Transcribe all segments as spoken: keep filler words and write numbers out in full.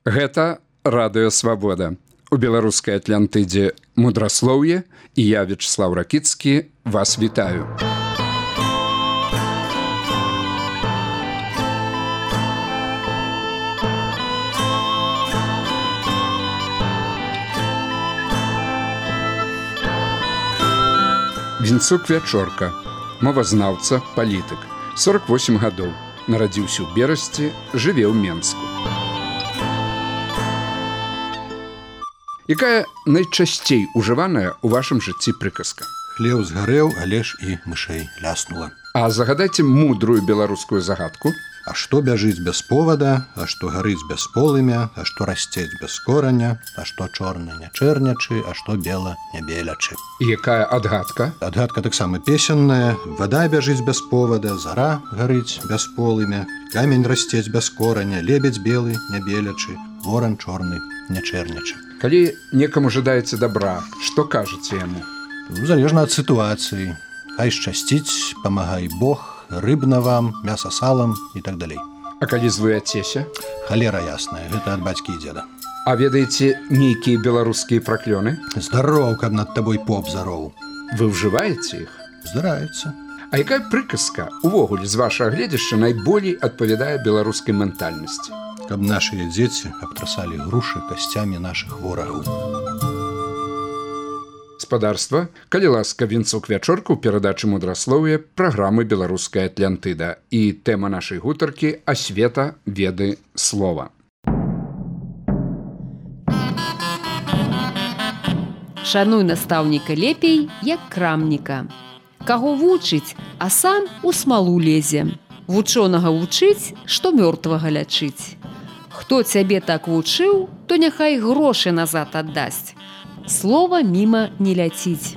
Гэта радыё Свабода. У беларускай Атлантыдзе мудраслоўе, і я, Вячеслав Ракіцкі, вас вітаю. Вінцук Вячорка, мовазнаўца, палітык, сорок восем гадоў, нарадзіўся ў Берасці, жыве ў Менску. Якая найчасцей ужываная ў вашым жыцці прыказка? Хлеў згарэў, але ж і мышэй ляснула. А загадайце мудрую беларускую загадку. А што бяжыць без повода, а што гарыць без полымя, а што расцець без кораня, а што чорны не чэрнячы, а што бела не белячы. І якая адгадка? Адгадка таксама песенная. Вада бяжыць без повода, зара гарыць без полымя, камень расцець без кораня, лебедзь белы не белячы, воран чорны не чэрнячы. Калі некаму жадаеце добра, што кажаце яму? Ну, залежна ад сітуацыі. Хай шчасціць, памагай Бог, рыбна вам, мяса салам і так далей. А калі звыяцеся? Халера ясная, гэта ад бацькі і дзеда. А ведаеце нейкія беларускія праклёны? Здароў, каб над табой поп зароў. Вы ўжываеце іх? Здараецца. А якая прыказка увогуле з вашага гледзяшча найболей адпавядае беларускай ментальнасці? Каб нашыя дзеці абтрасалі грушы касцямі нашых ворагаў. Спадарства, калі ласка, Вінцук Вячорка ў перадачы мудраслоўя праграмы «Беларуская Атлантыда» і тэма нашай гутаркі «Асвета веды слова». Шануй настаўніка лепей, як крамніка. Каго вучыць, а сам у смалу лезе. Вучонага вучыць, што мёртвага лячыць. Хто цябе так вучыў, то няхай грошы назад аддасць. Слова міма не ляціць.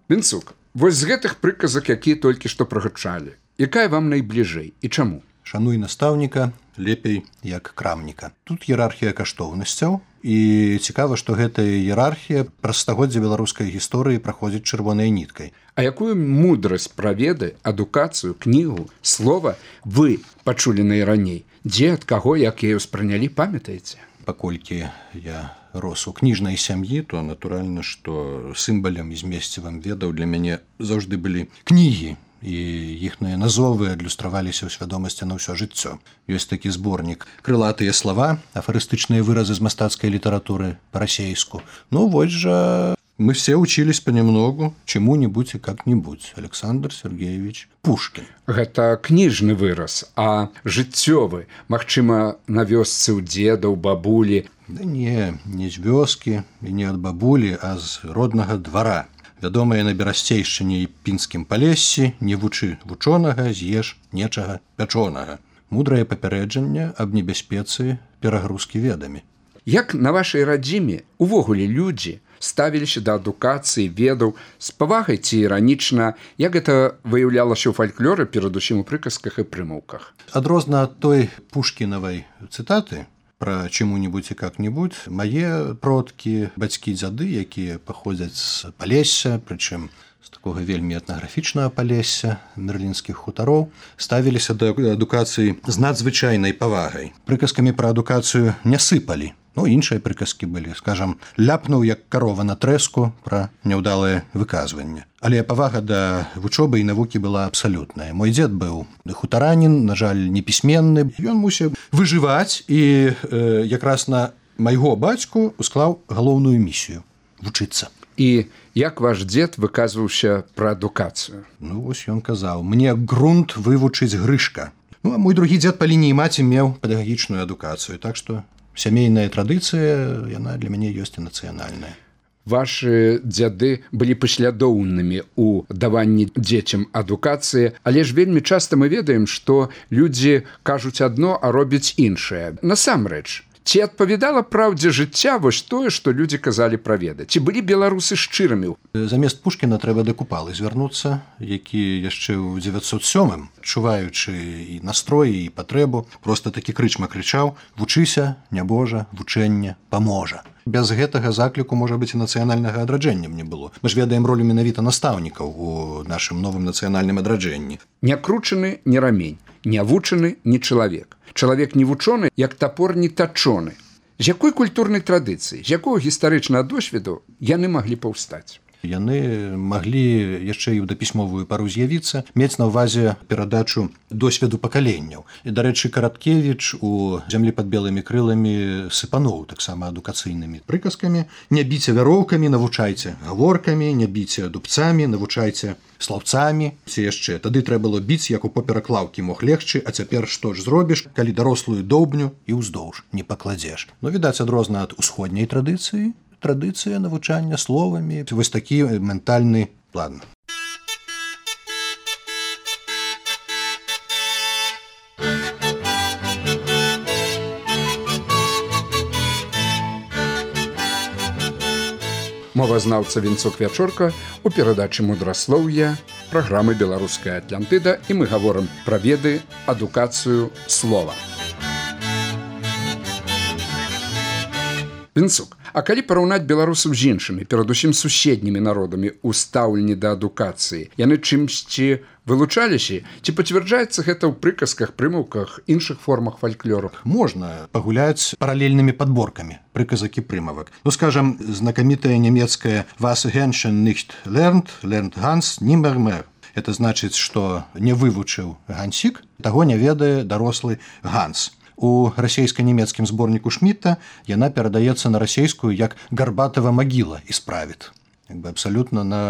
Вінцук, вось з гэтых прыказак, якія толькі што прагучалі, якая вам найбліжэй і чаму? Шануй настаўніка лепей, як крамніка. Тут іерархія каштоўнасцяў, і цікава, што гэтая іерархія праз стагоддзя беларускай гісторыі праходзіць чырвонай ніткай. А якую мудрасць пра веды, адукацыю, кнігу, слова вы пачулі найраней? Дзе, ад каго, як яе ўспрынялі, памятаеце? Паколькі я рос у кніжнай сям'і, то натуральна, што сімвалам і змесцівам ведаў для мяне заўжды былі кнігі, і іхныя назовы адлюстраваліся ў свядомасці на ўсё жыццё. Ёсць такі зборнік «Крылатыя слова», афарыстычныя выразы з мастацкай літаратуры па-расейску. Ну, вось жа мы все учились понемногу чему-нибудь и как-нибудь. Александр Сергеевич Пушкин. Гэта кніжны выраз, а жыццёвы, магчыма, на вёсцы ў дзеда, ў бабулі. Да не, не з вёскі і не ад бабулі, а з роднага двара. Вядомая на берасцейшчыне і пінскім палессі, не вучы вучонага, з'еш нечага пячонага. Мудрае папярэджанне аб небяспецы перагрузкі ведамі. Як на вашай радзіме увогуле людзі ставіліся да адукацыі, ведаў, з павагай ці іранічна, як гэта выяўлялася ў фальклоры, перадусім у прыказках і прымаўках? Адрозна ад той пушкінавай цытаты пра чему-нибудь і как-нибудь, мае продкі, бацькі, дзяды, якія паходзяць з Палесся, прычым з такога вельмі этнаграфічнага Палесся, мерлінскіх хутароў, ставіліся да адукацыі з надзвычайнай павагай. Прыказкамі пра адукацыю не сыпалі. Ну, іншыя прыказкі былі, скажам, ляпнуў, як карова на трэску, пра няўдалае выказванне. Але павага да вучобы і навукі была абсалютная. Мой дзед быў хутаранін, на жаль, непісьменны. Ён мусіў выжываць і э, якраз на майго бацьку усклаў галоўную місію – вучыцца. І як ваш дзед выказваўся пра адукацыю? Ну, вось ён казаў, мне грунт вывучыць Грышка. Ну, а мой другі дзед па лініі маці меў педагагічную адукацыю, так што сямейная традыцыя, яна для мяне ёсць і нацыянальная. Вашы дзяды былі паслядоўнымі ў даванні дзецям адукацыі, але ж вельмі часта мы ведаем, што людзі кажуць адно, а робяць іншае. Насамрэч, ці адпавядала праўдзе жыцця вось тое, што людзі казалі пра веды? Ці былі беларусы шчырымі? Замест Пушкіна трэба да Купалы звярнуцца, які яшчэ ў дзевяцьсот сёмым, адчуваючы і настроі, і патрэбу, проста такі крычма крычаў: «Вучыся, нябожа, вучэнне паможа». Без гэтага закліку, можа быць, і нацыянальнага адраджэння не было. Мы ж ведаем ролю менавіта настаўнікаў у нашым новым нацыянальным адраджэнні. Не кручаны, не рамень. не вучаны не чалавек. Чалавек не вучоны, як тапор не тачоны. З якой культурнай традыцыі, з якого гістарычнага досведу яны маглі паўстаць? Яны маглі яшчэ і ў дапісьмовую пару з'явіцца, мець на ўвазе перадачу досведу пакаленняў. І, дарэчы, Караткевіч у «Зямлі пад белымі крыламі» сыпануў таксама адукацыйнымі прыказкамі. Не біце вяроўкамі, навучайце гаворкамі, не біце дубцамі, навучайце слаўцамі. Ці яшчэ, тады трэба было біць, як у поперак лаўкі мог легчы, а цяпер што ж зробіш, калі дарослую доўбню і ўздоўж не пакладзеш. Ну, відаць, адрозна ад усходняй традыцыі, традыцыя навучання словамі. Вось такі ментальны план. Мовазнаўца Вінцук Вячорка у перадачы «Мудраслоўе» праграмы «Беларуская Атлантыда», і мы гаворым пра веды, адукацыю, слова. Вінцук, а калі параўнаць беларусаў з іншымі, перадусім суседнімі народамі ў стаўленні да адукацыі, яны чымсьці вылучаліся? Ці пацвярджаецца гэта ў прыказках, прымаўках, іншых формах фальклору? Можна пагуляць паралельнымі падборкамі прыказак і прымавак. Ну, скажам, знакамітая нямецкая «Was Hähnchen nicht lernt, lernt Hans nimmer mehr». Это значыць, што не вывучыў Гансік, таго не ведае дарослы Ганс. У расійска-нямецкім зборніку Шмітта яна перадаецца на расійскую як «гарбатава магіла» і справіт. Як бы абсалютна на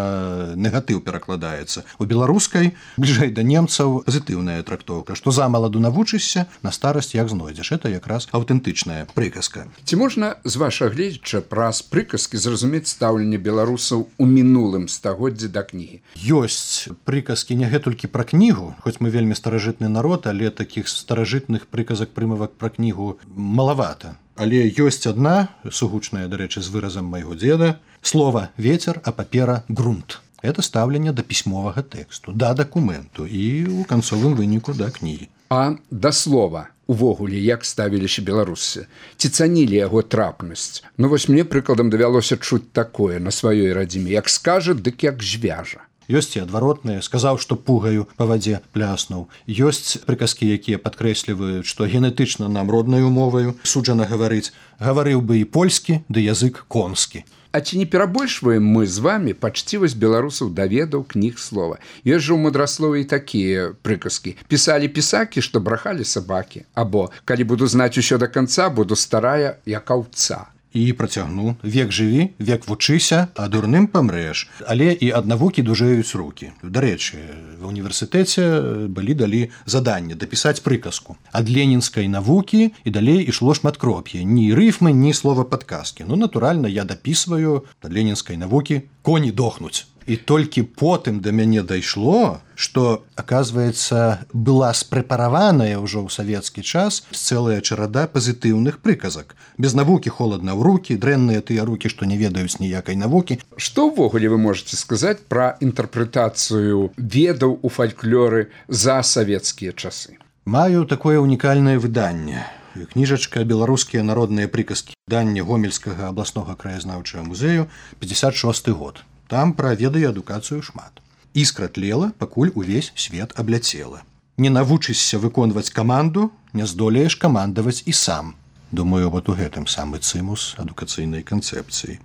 негатыў перакладаецца. У беларускай, бліжэй да немцаў, пазітыўная трактоўка, што замаладу навучышся, на старасць як знойдзеш. Это якраз аўтэнтычная прыказка. Ці можна з вашага гледзяча праз прыказкі зразумець стаўленне беларусаў у мінулым стагоддзі да кнігі? Ёсць прыказкі не гэтулькі пра кнігу, хоць мы вельмі старажытны народ, але такіх старажытных прыказак прымавак пра кнігу малавата. Але ёсць адна, сугучная, дарэчы, з выразам майго дзеда, слова «ветер», а папера «грунт». Это стаўленне да пісьмовага тэксту, да дакументу і ў канцовым выніку да кнігі. А да слова увогуле як ставіліся беларусы? Ці цанілі яго трапнасць? Ну вось мне прыкладам давялося чуць такое на сваёй радзіме, як скажа, дык як звяжа. Ёсць і адваротныя, сказаў, што пугаю па вадзе пляснуў. Ёсць прыказкі, якія падкрэсліваюць, што генетычна нам роднаю моваю суджана гаварыць. Гаварыў бы і польскі, ды язык конскі. А ці не перабольшваем мы з вамі пачцівасць беларусаў да ведаў, кніг, слова? Ёсць жа ў мудраслове і такія прыказкі. Пісалі пісакі, што брахалі сабакі. Або «калі буду знаць усё да канца, буду старая, як аўца». І працягну: век жыві, век вучыся, а дурным памрэш. Але і ад навукі дужэюць рукі. Дарэчы, ва ўніверсітэце былі далі заданне дапісаць прыказку. Ад ленінскай навукі і далей ішло шматкроп'е. Ні рыфмы, ні слова падказкі. Ну, натуральна, я дапісваю ад ленінскай навукі «коні дохнуць». І толькі потым да мяне дайшло, што, аказваецца, была спрэпараваная ўжо ў савецкі час цэлая чарада пазітыўных прыказак. Без навукі холадна ў рукі, дрэнныя тыя рукі, што не ведаюць ніякай навукі. Што ўвогуле вы можаце сказаць пра інтэрпрэтацыю ведаў у фальклоры за савецкія часы? Маю такое ўнікальнае выданне. Кніжачка «Беларускія народныя прыказкі». Выданне Гомельскага абласнога краязнаўчага музею, пятьдесят шосты год. Там пра веды і адукацыю шмат. Іскра тлела, пакуль увесь свет абляцела. Не навучышся выконваць каманду, не здолееш камандаваць і сам. Думаю, вот у гэтым самы цымус адукацыйнай канцэпцыі.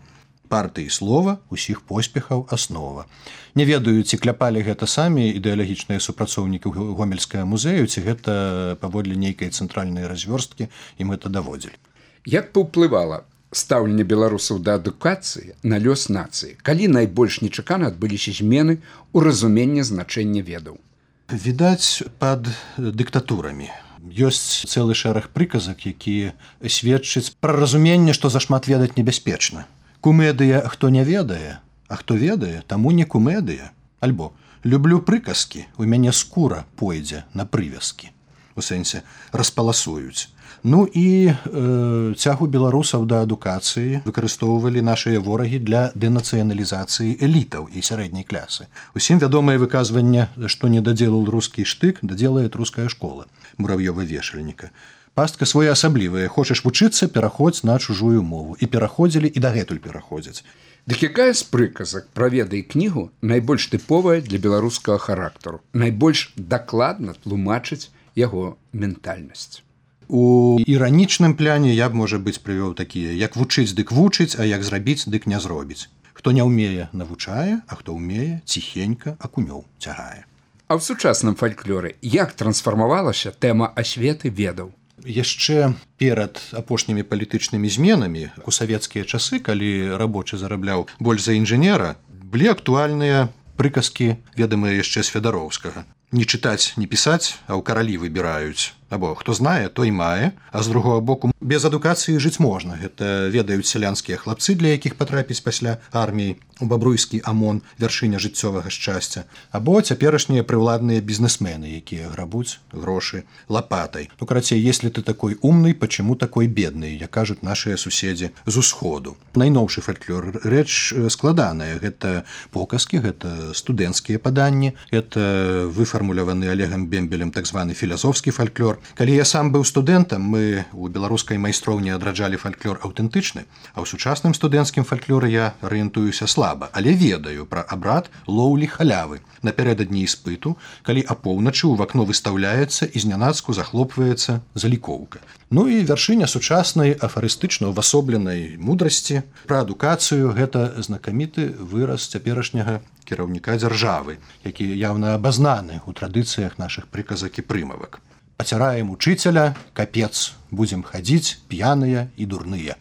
Партыі слова, усіх поспехаў аснова. Не ведаю, ці кляпалі гэта самі ідэалагічныя супрацоўнікі Гомельскага музею, ці гэта паводле нейкай цэнтральнай развёрсткі ім гэта даводзілі. Як паўплывала стаўленне беларусаў да адукацыі на лёс нацыі, калі найбольш нечакана адбыліся змены ў разуменні значэння ведаў? Відаць, пад дыктатурамі. Ёсць цэлы шэраг прыказак, якія сведчаць пра разуменне, што зашмат ведаць небяспечна. Кумедыя, хто не ведае, а хто ведае, таму не кумедыя. Альбо люблю прыказкі, у мяне скура пойдзе на прывязкі. У сэнсе распаласуюць. Ну і э, цягу беларусаў да адукацыі выкарыстоўвалі нашыя ворагі для дэнацыяналізацыі элітаў і сярэдняй клясы. Усім вядомае выказванне, што не даделал рускі штык, даделает руская школа Мурав'ёва-вешальніка. Пастка своеасаблівая. Хочаш вучыцца, пераходзь на чужую мову. І пераходзілі, і дагэтуль пераходзяць. Дык якая з прыказак пра веды і кнігу найбольш тыповая для беларускага характару, найбольш дакладна тлумачыць яго ментальнасць. У іранічным пляне я б, можа быць, прывёў такія: як вучыць, дык вучыць, а як зрабіць, дык не зробіць. Хто не ўмее, навучае, а хто ўмее, ціхенька акунёў цягае. А ў сучасным фальклоры як трансфармавалася тэма асветы ведаў? Яшчэ перад апошнімі палітычнымі зменамі у савецкія часы, калі рабочы зарабляў больш за інжынера, былі актуальныя прыказкі, ведамыя яшчэ з Федароўскага. Не чытаць, не пісаць, а ў каралі выбіраюць. Або хто знае, той мае, а з другого боку, без адукацыі жыць можна. Гэта ведаюць сялянскія хлапцы, для якіх патрапіць пасля арміі у бабруйскі АМОН, вяршыня жыццёвага шчасця. Або цяперашнія прыўладныя бізнесмены, якія грабуць грошы лапатай. Ну, карацей, если ты такой умный, почему такой бедный, як кажуць нашыя суседзі з усходу. Найноўшы фальклор рэч складаная. Гэта показкі, гэта студэнцкія паданні, гэта выфармуляваны Олегам Бембелем так званы філасофскі фальклор. Калі я сам быў студэнтам, мы у беларускай майстроўні адраджалі фальклор аўтэнтычны, а ў сучасным студэнцкім фальклоры я арыентуюся слаба, але ведаю пра абрад лоўлі халявы напярэдадні іспыту, калі апоўначы ў вакно выстаўляецца і знянацку захлопваецца залікоўка. Ну і вяршыня сучаснай афарыстычна ўвасобленай мудрасці пра адукацыю — гэта знакаміты выраз цяперашняга кіраўніка дзяржавы, які яўна абазнаны ў традыцыях нашых прыказак і прымавак. Пацяраем учыцеля, капец, будзем хадзіць п'яныя і дурныя.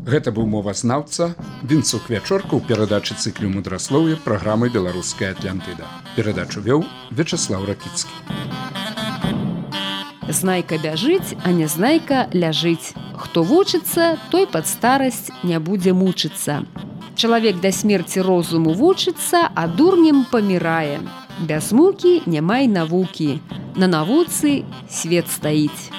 Гэта быў мовазнаўца Вінцук Вячорка ў перадачы цыклю мудраслоўя праграмы «Беларуская Атлантыда». Перадачу вёў Вячаслаў Ракіцкі. Знайка бяжыць, а нязнайка ляжыць. Хто вучыцца, той пад старасць не будзе мучыцца. Чалавек да смерці розуму вучыцца, а дурнем памірае. Без мукі няма й навукі. На навуцы свет стаіць.